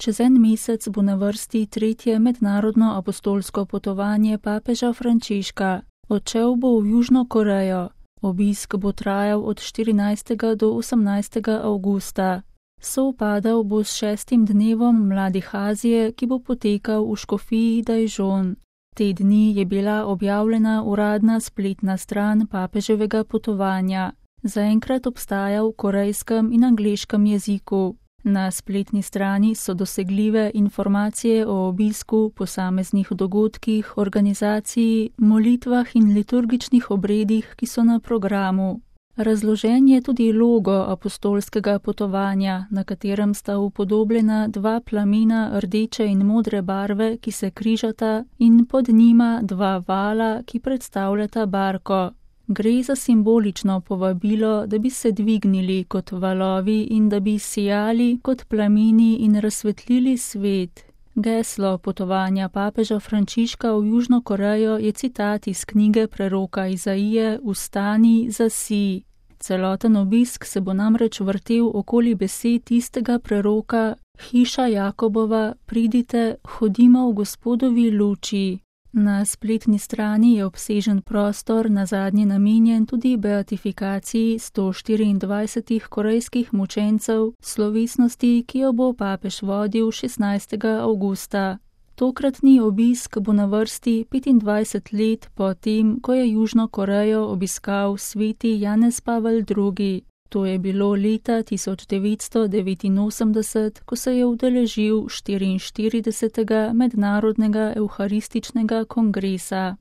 Čez en mesec bo na vrsti tretje mednarodno apostolsko potovanje papeža Frančiška. Odšel bo v Južno Korejo. Obisk bo trajal od 14. do 18. avgusta. Sovpadal bo s 6. dnevom Mladih Azije, ki bo potekal v škofiji Dajžon. Te dni je bila objavljena uradna spletna stran papeževega potovanja. Zaenkrat obstaja v korejskem in angleškem jeziku. Na spletni strani so dosegljive informacije o obisku, posameznih dogodkih, organizaciji, molitvah in liturgičnih obredih, ki so na programu. Razložen je tudi logo apostolskega potovanja, na katerem sta upodobljena dva plamena rdeče in modre barve, ki se križata, in pod njima dva vala, ki predstavljata barko. Gre za simbolično povabilo, da bi se dvignili kot valovi in da bi sijali kot plameni in razsvetlili svet. Geslo potovanja papeža Frančiška v Južno Korejo je citat iz knjige preroka Izaije Vstani, zasij. Celoten obisk se bo namreč vrtel okoli besed tistega preroka: Hiša Jakobova, pridite, hodimo v Gospodovi luči. Na spletni strani je obsežen prostor nazadnje namenjen tudi beatifikaciji 124 korejskih mučencev, slovesnosti, ki jo bo papež vodil 16. avgusta. Tokratni obisk bo na vrsti 25 let po tem, ko je Južno Korejo obiskal sveti Janez Pavel II. To je bilo leta 1989, ko se je udeležil 44. mednarodnega evharističnega kongresa.